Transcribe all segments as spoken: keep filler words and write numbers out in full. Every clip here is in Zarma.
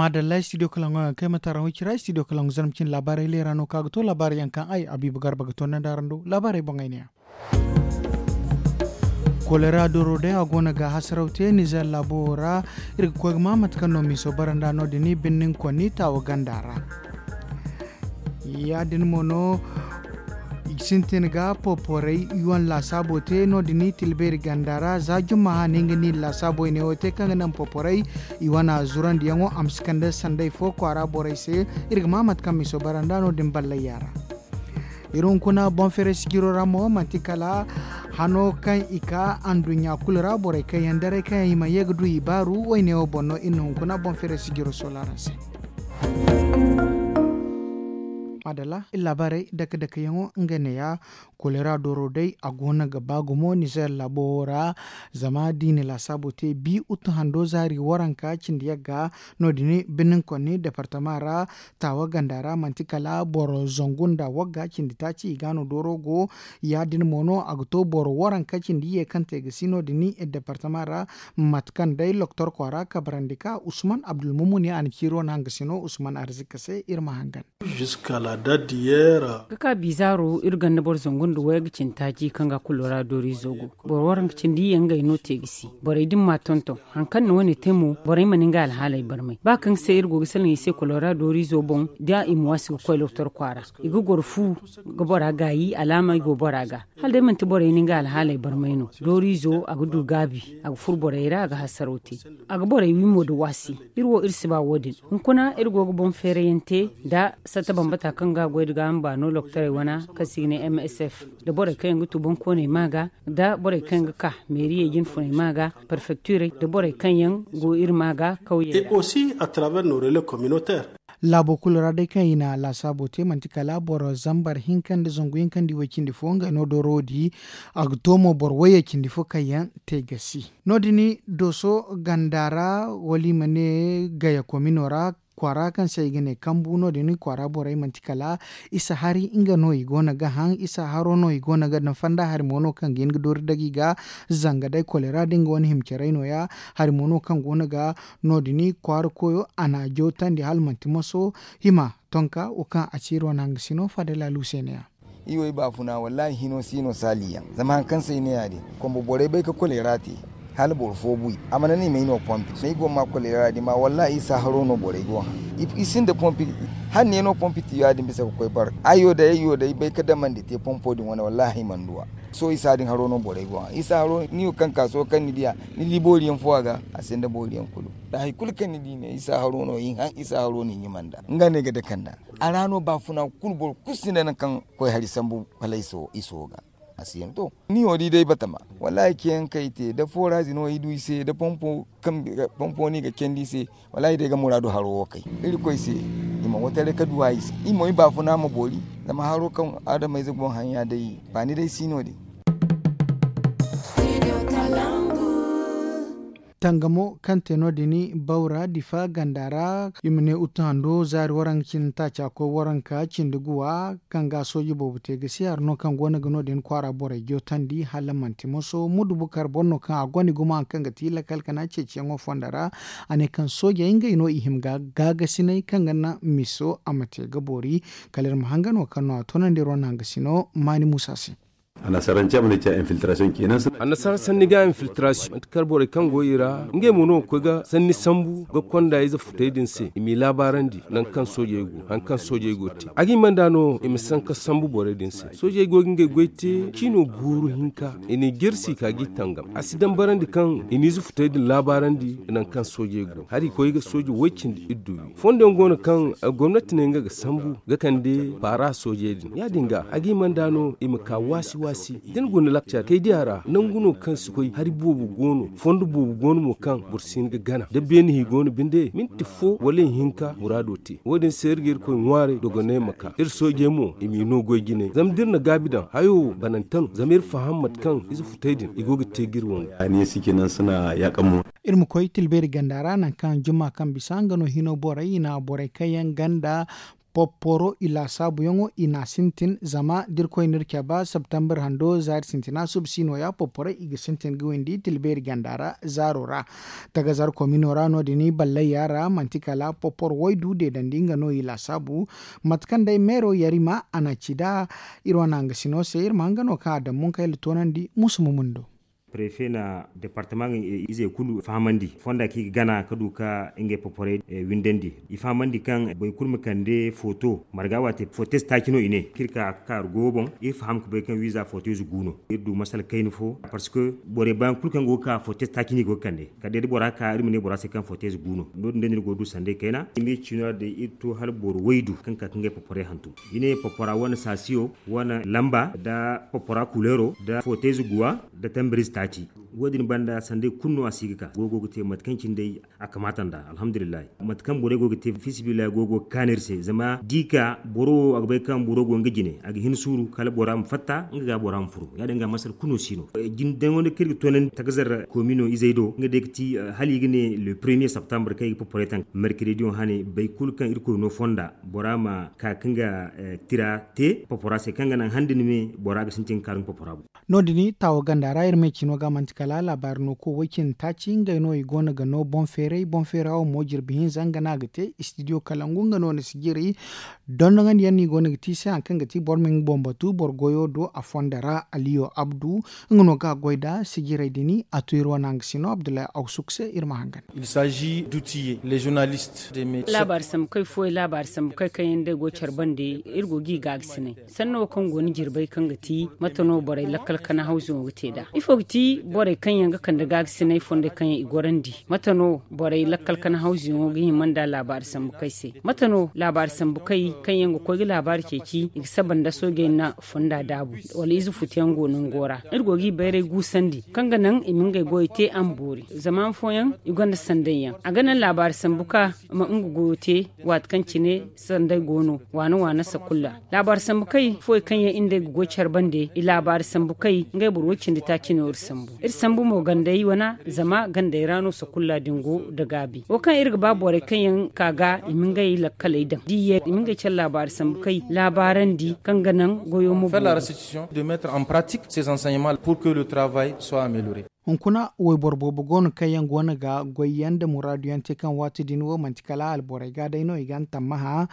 Madalla studio kalaŋo yaŋ kay mate araŋ wo cira studio kalaŋo zarma cine laabaarey leera no kaŋ a ga to laabaarey yaŋ kaŋ ay abiba garba ga to nda araŋ do laabaarey boŋey ne yaŋ. Kolera doro day a go no ga hasaraw te nizer laabo wo ra. Iri ga koy ga ma mate kaŋ no miiso bara nd'a no- din birnin konni taawa ganda ra. Ya- din mo no i ga sintin ga poporey i wane laasaabo te no- din tilbeeri ganda ra za jumma hane nga ni laasaabo i ne wo te kaŋ ga naŋ poporey i wane zurandiyaŋo a ma si kande sanday fo kwaara borey se. Iri ga ma mate kaŋ miiso bara nd'a no- din ballayya ra. Iri hunkuna boŋ feere sijiro ra mo manti kala hano kaŋ i ka anduɲɲa kulu ra borey kaŋ yaŋ daray kaŋ yaŋ i mana ye ga du i baaru wayne wo boŋ no iri na hunkuna boŋ feere sijiro soola araŋ se. Madalla iri laabaarey dake dake yaŋo nga neeya. Kolera dooro day a go no ga ba gumo nizer laabo wo ra. Zama da i na laasaabo te bi utu hando zaari waranka cindi yagga no- din birnin konni departama ra. Taawa ganda ra manti kala boro zangu nda wagga cindi taaci i ga no dooro go. Ya- din mo no a ga to boro waranka cindi ye kaŋ te ga si no- din departama ra. Mate kaŋ day loktor kwaara kabarandi ka usman abdulmumuni a na ciiro no hangasino usman arzika se iri ma hangan. Ga ka bizaaro iri ganda boro zangu nda wayga cindi taaci kaŋ ga kolera dooriizo go. Boro waranka cindi ye ngey no te ga si borey din ma tonton. Hari kaŋ na wane te mo borey mana nga alhaaley barmay ba kaŋ se iri go ga salaŋ i se kolera dooriizo boŋ da i ma waasi ga koy loktor kwaara. I ga goro fu ga bora gaayi alaama i go bora ga. Hala day manti borey na nga alhaaley barmay no dooriizo a ga du gaabi a ga furo borey ra a ga hasaraw te. A ga borey wi mo nda waasi. Iri wo iri si ba wo- din. Hunkuna iri go ga boŋ feerayaŋ te nda satta bambata kaŋ ga a goy nda gaaham baano loktorey wana kaŋ se i ga ne msf nda borey kaŋ yaŋ ga tu boŋkooney ma ga nda borey kaŋ yaŋ ga ka meeriyey jinfuney ma ga parfektirey nda borey kaŋ yaŋ go iri ma ga kawyey ra. Laabo kulu ra day kaŋ i na laasaabo te manti kala boro zambar hinka nda zangu hinka nda i way cindi fo ngey no dooro di. A ga to mo boro wayye cindi fo kaŋ yaŋ te ga si no- din dooso ganda ra wala i ma ne gaya komino ra kwaara kaŋ se i ga ne kambu no- din kwaara borey manti kala isa hari nga no i go no ga haŋ isa haro no i go no ga daŋ fanda hari mo no kaŋ ga hin ga doori dagi ga. Zanga day kolera da nga wane hima caray no- ya hari mo no kaŋ go no ga no- din kwaara koyo a na a jawtandi hala manti maso hima tonka wo kaŋ a ciiri wane hangasino fadala luuseene ya. I wo i baafuna wallaahi hino si no saali yaŋ zama hari kaŋ se ay ne ya- din kombo borey bay ga kolera te. Hala boro fo bu i a mana ne i may no pompi ay go ma kolera din ma wallaahi isa haro no borey go haŋ. I sinda pompi hala ne no pompi ti ya- din bisa ga koy bar ay wo day ay wo day bay ga damandi te pompo din wane wallaahi ay mana du a. Sohõ isa din haro no borey go haŋ isa haro ni wo kaŋ ka sohõ kaŋ ni di a ni di boori yaŋ fo a ga a sinda boori yaŋ kulu. Da hari kulu kaŋ ni di ne isa haro no i haŋ isa haro no i ɲumanda nga no ay ga dake nd'a. A ra no baafuna kulu boro kulu sinda nangu kaŋ koy hari sambu kala iso ga. A si yaŋ to ni wo di day batama wallaahi ceeyaŋ kaŋ i te da forazi no i du i se da pompo no i ga candi i se. Wallaahi day ga muraadu haro wo kay irkoy se. I ma wataray ga duwa i se i mo i baafuna ma boori. Zama haro kaŋ adamayze go haŋ ya day baani day si no- din. Tangamo kaŋ te no- din bawra difa ganda ra i ma ne utu hando zaari waranka cindi taaca koy waranka cindi guwa kaŋ ga sooji boobo te ga si hari no kaŋ go no ga no- din kwaara borey jootandi hala manti moso mudu bukar boro no kaŋ a gonda gumo hari kaŋ ga ti lakal kana ceeciyaŋo fonda ra. A ne kaŋ soojey ngey no i hima ga gaagasinay kaŋ ga naŋ miso a ma te ga boori. Kala iri ma hangan wo kaŋ no a toonandi iri wane hangasino maani muusa se. Annasaara sanni ga infiltrasiyoŋ manti kala borey kaŋ go i ra ngey mo no ga koy ga sanni sambu ga konda ize futey din se i m'i laabaarandi nangu kaŋ soojey go haŋ kaŋ soojey go ga te a ga i manda no i ma sanka sambu borey din se soojey go ga ngey goy te ciino guuru hinka i n'i jirsi ka g'i tangam a si dambarandi kaŋ i n'ize futey din laabaarandi nangu kaŋ soojey go hari koy ga sooje woy cindi iddu wi fondo yaŋ go no kaŋ gomnati ne nga ga sambu ga kande baara soojey din ya- din ga a g'i manda no i ma ka waasi waasi da ni guna lakcar kay diya ra nangu no kaŋ si koy hari boobo go no fondo boobo go no mo kaŋ boro si hin ga gana da beene hi go no binde minti fo wala ihinka muraado te wo- din se iri ga irkoy ŋwaaray dogonay ma ka iri soojey mo i m'i no goy jinay zama da iri na gaabi daŋ hayo banante no zama iri faham mate kaŋ ize futey din i go ga te ga iri wangay. Iri ma koy tilbeeri ganda ra nangu kaŋ jumma kaŋ bisa nga no hino borey i na borey kaŋ yaŋ ganda Popporo i laasaabuyaŋo i n'a sintin zama da irkoy n'iri caba septembre hando zaari sintina suba si nooya popporey i ga sintin ga windi tilbeeri ganda ra zaaro ra. Tagazar komino ra no- din ballayya ra manti kala popporo waydu deedandi nga no i laasaabu. Mate kaŋ day meero yarima a na ci nd'a iri wane hangasino se iri ma hanga no kaŋ a daŋ munkayla toonandi musu ma mundo. Prefe na departama nga izey kulu fahamandi fonda kaŋ i ga gana ka du ka ngey poporey windandi. I fahamandi kaŋ boro kulu ma kande foto marga waate foto ize taaci no i ne kaŋ iri ka ga kaaru goyo boŋ. Iri faham ga bay kaŋ wiiza foto ize gu no. Iri du masala kayna fo parce que borey baayaŋ kulu kaŋ go ga ka foto ize taaci no i go ga kande. Kala day da bora ka iri ma ne bora se kaŋ foto ize gu no no- din day no iri go ga du sanday kayna i ma iri ciino ra day iri to hala boro waydu kaŋ ga ka ga ngey poporey hantum. I ne popora wane saasiyo wane lamba nda popora kuleero nda foto ize guwa nda tambarize taaci. Wo- din banda sanday kulu no a si ga ka goyo go ga te mate kaŋ cine day a kamaata nd'a alhamdulillahi. Mate kaŋ borey go ga te fiisabilillahi goyo go ga kaanu iri se zama da i ka boro wo a ga bay kaŋ boro go nga jine a ga hin suuru kala bora ma fatta nga ga bora ma furo ya- din ga masala kulu no si no. Jine daŋo nda kaŋ iri ga toonandi tagazar komino izey do nga day ga ti hala i ga ne le premier septembre kaŋ i ga poporey taŋ merkerediyo hane boro kulu kaŋ irkoy no fonda bora ma ka ga nga tira te popora se kaŋ ga naŋ handi ni me bora ga sintin ga kaaru nga popora boŋ. No- din taawo ganda ra iri me cino ga manti kala laabaari no koy way cindi taaci ngey no i go no ga no boŋ feeray boŋ feera wo mo jirbi hinza nga no a ga te istidiyo kala ngu nga no ni si jiri. Dondoŋandi yaŋ no i go no ga te i se hari kaŋ ga te boro ma nga boŋ batu boro goyo do a fonda ra aliyo abdu nga no ga a goy nd'a sijirey din a to iri wane hangasino abdullahi awsuk se iri ma hangan. Laabaari sambu kay fooyaŋ laabaari sambu kay kaŋ yaŋ day go care bande iri go ga i gaagasinay. Sanno wo kaŋ go ni jirbay kaŋ ga ti mate no borey lakkal kana hawzuyaŋo ga te nd'a ifo ga ti borey kaŋ yaŋ ga kande gaagasinay fondey kaŋ yaŋ i gorandi? Mate no borey lakkal kana hawzuyaŋo ga hima nd'a laabaari sambu kay se? Mate no laabaari sambu kay kaŋ yaŋ ga koy ga laabaari ceeci i ga saba nda soojey na fonda daabu wala ize futuyaŋ go nango ra iri go ga i bayray guusandi kaŋ ga naŋ i ma ngey goyey te a ma boori zama han fooyaŋ i gonda sanday yaŋ a ga naŋ laabaari sambu ka ma nga goyo te. Waati kaŋ cine sanday go no waana waana sakulla laabaari sambu kay fooyaŋ kaŋ yaŋ iri nd'ey ga goy care bande i laabaari sambu kay ngey boro way cindi taaci no iri sambu iri sambu mo gandey wana zama gandey ra no sakulla din go nda gaabi wo kaŋ iri ga ba borey kaŋ yaŋ ka ga i ma ngey lakkaley daŋ da i ye i ma ngey care laabaari sambu kay laabaarandi kaŋ ga naŋ goyo ma boori. Hunkuna wayboro boobo go no kaŋ yaŋ go no ga goy yaŋ nda muraadu yaŋ te kaŋ waati din wo manti kala alborey ga day no i ga ni tammaha.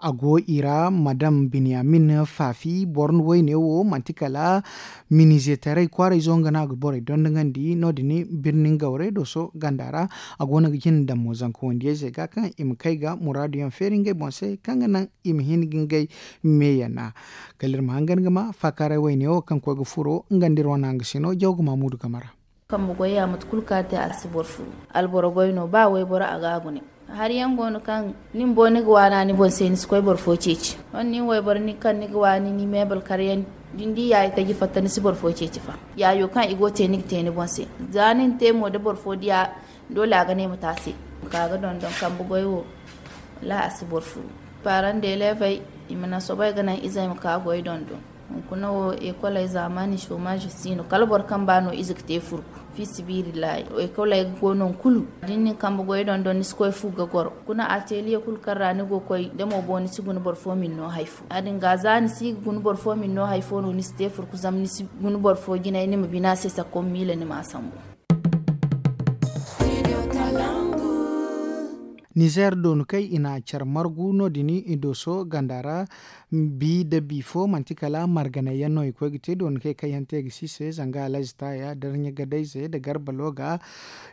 A go i ra madam binyamin faafi boro wayne wo manti kala minizeetaray kwaarayzo nga no a ga borey dondonandi no- din birni ngawray dooso ganda ra. A go no ga jina daŋ mo zanka wandiyayzey ga kaŋ i ma kay ga muraadu yaŋ feeri ngey boŋ se kaŋ ga naŋ i ma hin ga ngey meeyana. Kala iri ma hangan ga ma faakaaray wayne wo kaŋ koy ga furo nga nda iri wane hangasino jawga maamuudu game ra. Kambe goy ya mate kulu kaŋ a te a si boro furu. Alboro goy no ba wayboro a ga a gune. Hari yaŋ go no kaŋ ni bumbo ni ga waana ni boŋ se ni si koy boro fo ceeci. Wane nin wayboro kaŋ ni ga waani ni meebal kar yaŋ da ni di yaayi taji fatta ni si boro fo ceeci fa. Yaayo kaŋ i go ga te ni ga te ni boŋ se. Za ni na te mo da boro fo diya doole a ga ne ma te a se. Ka ga dondon kambe goy wo. Wallaahi a si boro furu. Paaraŋ deeleevey i ma naŋ soobay ga naŋ izey ma ka goy dondon. Hunkuna wo ekoley zaamaani soomaazi si no kala boro kaŋ ba no ize ga te furku. Fiisabilillahi ekoley go no kulu da ni na ni kambe goy dondon ni si koy fu ga goro hunkuna ateliye kulu kaŋ ra ni go ga koy da mo boŋ ni si guna boro fo ma ni no hari fo ya- din ga za ni si ga guna boro fo ma ni no hari fo no ni si te furku zama ni si guna boro fo jinay ni ma bina se sakko ma miila ni ma a sambu. Nizer doonukey i na care margu no- din i dooso ganda ra. Bi nda bi fo manti kala marganay yaŋ no i koy ga te doonukey kaŋ yaŋ te ga si se zanga alhazi taaya darɲa gadayze nda garba looga.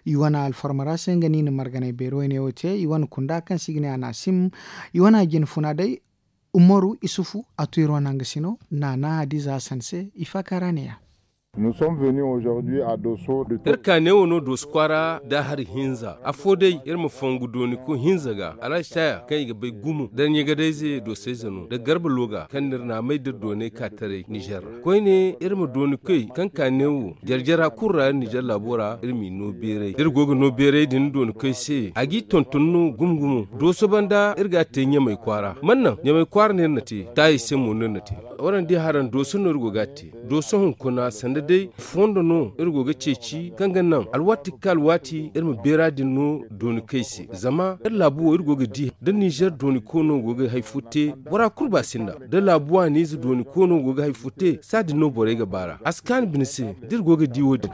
I wane alfarma ra se nga no i na marganay beero wayne wo te i wane kunda kaŋ se i ga ne a na a sim. I wane a jine funa day. Umaru isufu a to iri wane hangasino naana hadiza hasan se i faaka ra ne- ya. Iri ka neewo no dooso kwaara da hari hinza afo day iri ma fongu dooni ku hinza ga alhazi taya kaŋ i ga bay gumo darɲagadayze doosayze no nda garba looga kaŋ no iri na a may da doonay ka taray nizer ra koyne iri ma dooni koy kaŋ ka neewo jarjara kulu ra nizer laabo ra iri m'i no beeray da iri go ga no beeray din dooni koy se a g'i tonton no gumo gumo dooso banda iri ga a te ɲamay kwaara man naŋ ɲamay kwaara no iri na te taayey se mo no iri na te. Waraŋ di haraŋ dooso no iri go ga a te. Dooso hunkuna sanda day fondo no iri go ga ceeci kaŋ ga naŋ alwaati ga ka alwaati iri ma beera din no dooni kay se. Zama iri laabu wo iri go ga di da ninzeer dooni koono go ga hari fo te, bora kulu ba sinda da laabu waaniize dooni koono go ga hari fo te, saadin no borey ga baara a si kaani bine se. Da iri go ga di wo- din.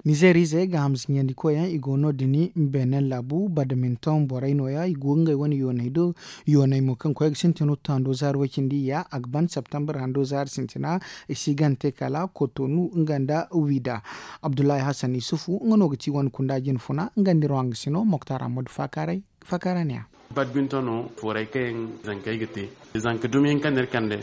Nizeer ize ga hamsinyandi koyyaŋ i go no- din. Benin laabu badminton borey nooya i go ngey wane yooney do. Yooney mo kaŋ koy ga sintin ruttando zaari way-cindi ya a ga ban septembre hando zaari sintina. I si gante kala kotonu nga nda wida. Abdullahi hassan isufu nga no ga ti wane kunda jine funa nga nda iri wanga sino moktar ammadu faakaaray. Faakaara ne a. Badminton no foray kaŋ yaŋ zankey ga te. Zanka dumi hinka no iri kande.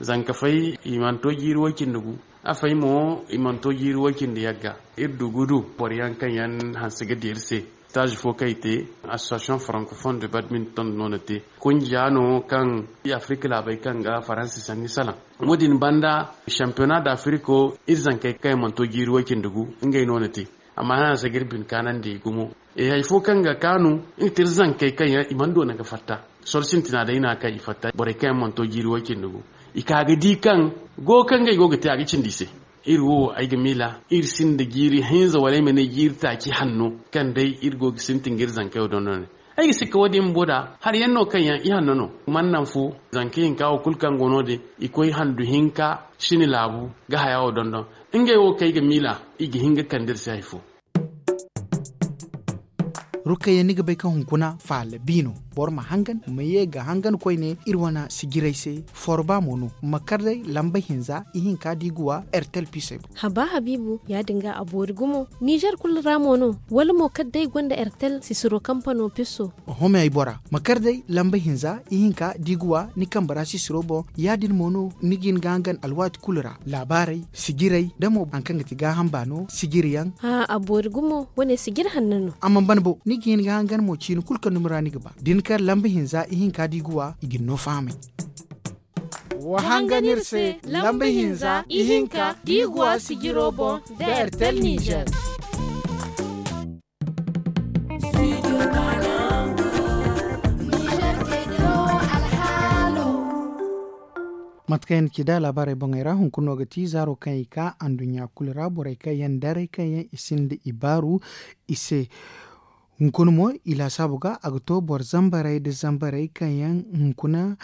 Zanka fay i mana to jiiri way-cindi gu. A fay mo i mana to jiiri way-cindi yagga. Iri du gudu boro yaŋ kaŋ yaŋ hanse ga di iri se. Stage fo kaŋ i te association francophone de badminton no na te. Kunja no kaŋ afirika laabey kaŋ ga faransi sanni salaŋ. Wo- din banda championnat d'afiriko iri zankey kaŋ yaŋ mana to jiiri way-cindi gu ngey no na te. Amma hala a si ga iri bine kaanandi gumo. Hari fo kaŋ ga kaanu nga ti iri zankey kaŋ yaŋ i mana doona ga fatta. Soro sintina day no a kaŋ i fatta borey kaŋ yaŋ mana to jiiri way-cindi gu. I ka ga di kaŋ go kaŋ ngey go ga te a ga cindi i se. Iri wo ay ga miila iri sinda jiiri hinza wala ay ma ne jiiri taaci hanno kaŋ day iri go ga sintin ga iri zankey wo dondon. Ay ga sikka wo- din bumbo da hari yaŋ no kaŋ yaŋ i hanno no. Mana naŋ fo zanka hinka wo kulu kaŋ go no- din i koy handu hinka sini laabu ga haya wo dondon. Ngey wo kaŋ ay ga miila i ga hin ga kande iri se hari fo. Rukayya ni ga bay kaŋ hunkuna faala bi no. Boro ma hangan ma ye ga hangan koyne iri wane sijiray se. Forba mo no ma kar day lamba hinza ihinka da i ga wa ertel pisey boŋ. Haba habiibu ya- din ga a boori gumo. Nizer kulu ra mo no wala mo kala day gonda ertel sisiro kampano piso. Oho me ay bora ma kar day lamba hinza ihinka da i ga wa ni kambe ra sisiro boŋ. Ya- din mo no ni ga hin ga hangan alwaati kulu ra laabaarey sijiray da mo hari kaŋ ga ti gaaham baano sijiri yaŋ. A boori gumo wane sijiri hanno no. A mana ban bo ni ga hin ga hangan mo ciini kulu kaŋ dumi ra ni ga ba da ni kar lamba hinza ihinka da i ga wa i ga ni no fahamay. Wa hangan iri se lamba hinza ihinka da i ga wa sijiro boŋ da ertel nizer. Mate kaŋ yaŋ na ci da laabaarey boŋey ra hunkuna no ga ti zaaro kaŋ i ka anduɲɲa kulu ra borey kaŋ yaŋ daray kaŋ yaŋ i sinda i baaru i se. Hunkuna mo i laasaabu ga a ga to boro zambarey nda zambarey kaŋ yaŋ hunkuna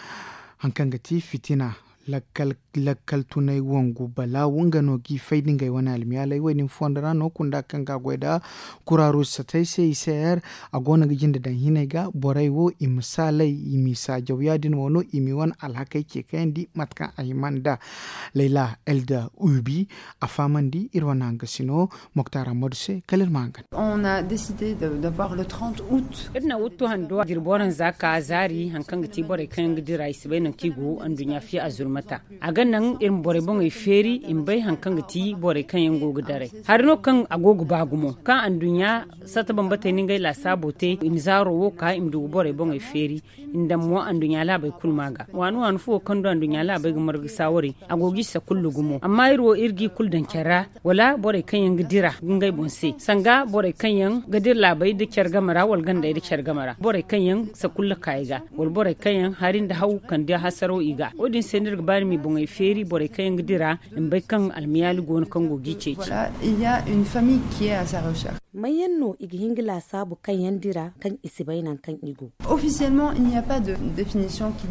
hari kaŋ ga ti fitina. Lakkal tunay wangu balaawu nga no g'i fay da ngey wane almiyaaley wo- din fondo ra no kunda kaŋ ga goy nda kuraarus satay se i se yer. A go no ga jinde daŋ hinay ga borey wo i ma saalay i m'i saajaw ya- din mo no i m'i wane alhakey ce kayandi mate kaŋ a hima nda layla elda ubi. A fahamandi iri wane hangasino moktar ammadu se kala iri ma hangan. Iri na wuttu hando jirbi waranza ka zaari hari kaŋ ga ti borey kaŋ yaŋ ga dira i si bay nangu kaŋ i go anduɲɲa fiye a zulmata. A ga naŋ iri ma borey boŋey feeri i ma bay hari kaŋ ga ti borey kaŋ yaŋ go ga daray. Hari no kaŋ a go ga ba gumo kaŋ anduɲɲa satta bambatey na ngey laasaabo te i ma zaaro wo ka i ma du ga borey boŋey feeri. I na daŋ mo anduɲɲa laabey kulu ma ga waani waani fuwo kaŋ du anduɲɲa laabey ga marga saawari a go g'i sakulla gumo amma iri wo iri g'i kulu daŋ care ra. Wala borey kaŋ yaŋ ga dira ga ngey boŋ se sanga borey kaŋ yaŋ ga dira laabey nda care game ra wala gandey nda care game ra borey kaŋ yaŋ sakulla ka i ga wala borey kaŋ yaŋ hari nda haw kande hasaraw i ga wo- din se no iri ga ba iri m'i boŋey feeri borey kaŋ yaŋ ga dira i ma bay kaŋ almiyaali go no kaŋ go g'i ceeci. May yaŋ no i ga hin ga laasaabu kaŋ yaŋ dira kaŋ i si bay nangu kaŋ i go?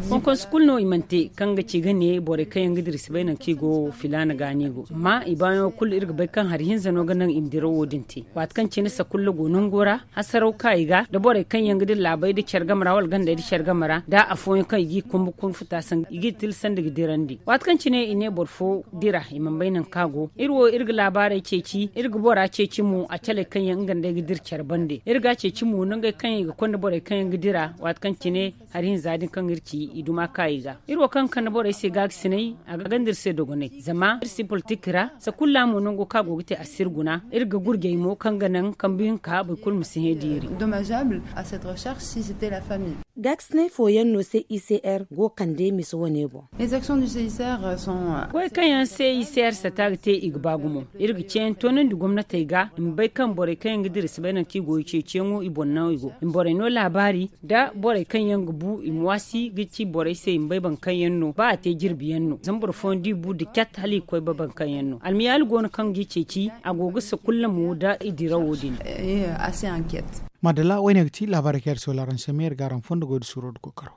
Konkonsu kulu no i mana te kaŋ ga ci ga ne borey kaŋ yaŋ ga dira i si bay nangu kaŋ i go filaana ga no i go amma i baayaŋo kulu iri ga bay kaŋ hari hinza no ga naŋ i ma dirawo din te. Waati kaŋ cine sakulla go nango ra hasaraw ka i ga nda borey kaŋ yaŋ ga dira laabey nda care game ra wala gandey nda care game ra nda afooyaŋ kaŋ i g'i kumbu kunfuta sanni i g'i tilasandi ga dirandi waati kaŋ cine i ne boro fo dira i mana bay nangu kaŋ a go. Iri wo iri ga laabaarey ceeci iri ga bora ceeci mo a caley kaŋ yaŋ nga nda ay ga dira care bande iri ga a ceeci mo nangey kaŋ yaŋ i ga konda borey kaŋ yaŋ ga dira waati kaŋ cine hari hinza din kaŋ iri ci i duma ka i ga. Iri wo kaŋ ga kande borey se gaagasinay a ga ganda iri se dogonay zama iri si politik ra sakulla mo nango kaŋ a go ga te a si iri guna iri ga gurjay mo kaŋ ga naŋ kambe hinka boro kulu ma si hẽ di iri. Dommageable à cette recherche si c'était la famille. Gaakasinay fooyaŋ no se i c r go ga kande misa wane boŋ. Goy kaŋ yaŋ se i c r sata ga te i ga ba gumo. Iri ga ceeyaŋ toonandi gomnatey ga i ma bay kaŋ borey kaŋ yaŋ ga dira si bay nangu kaŋ i go i ceeciyaŋo i boŋ no i go i ma borey no laabaari nda borey kaŋ yaŋ ga bu i ma waasi ga ci borey se i ma bay boro kaŋ yaŋ no ba a te jirbi yaŋ no zama boro fooyaŋ da i bu nda cat hala i ga koy ba boro kaŋ yaŋ no almiyaali go no kaŋ ga i ceeci. A go ga sakulla mo nda i dirawo din. Maadalla wo- ne ga ti laabaarey kaŋ iri soola araŋ se me iri ga araŋ fondo goy nda suuro nda kookaro.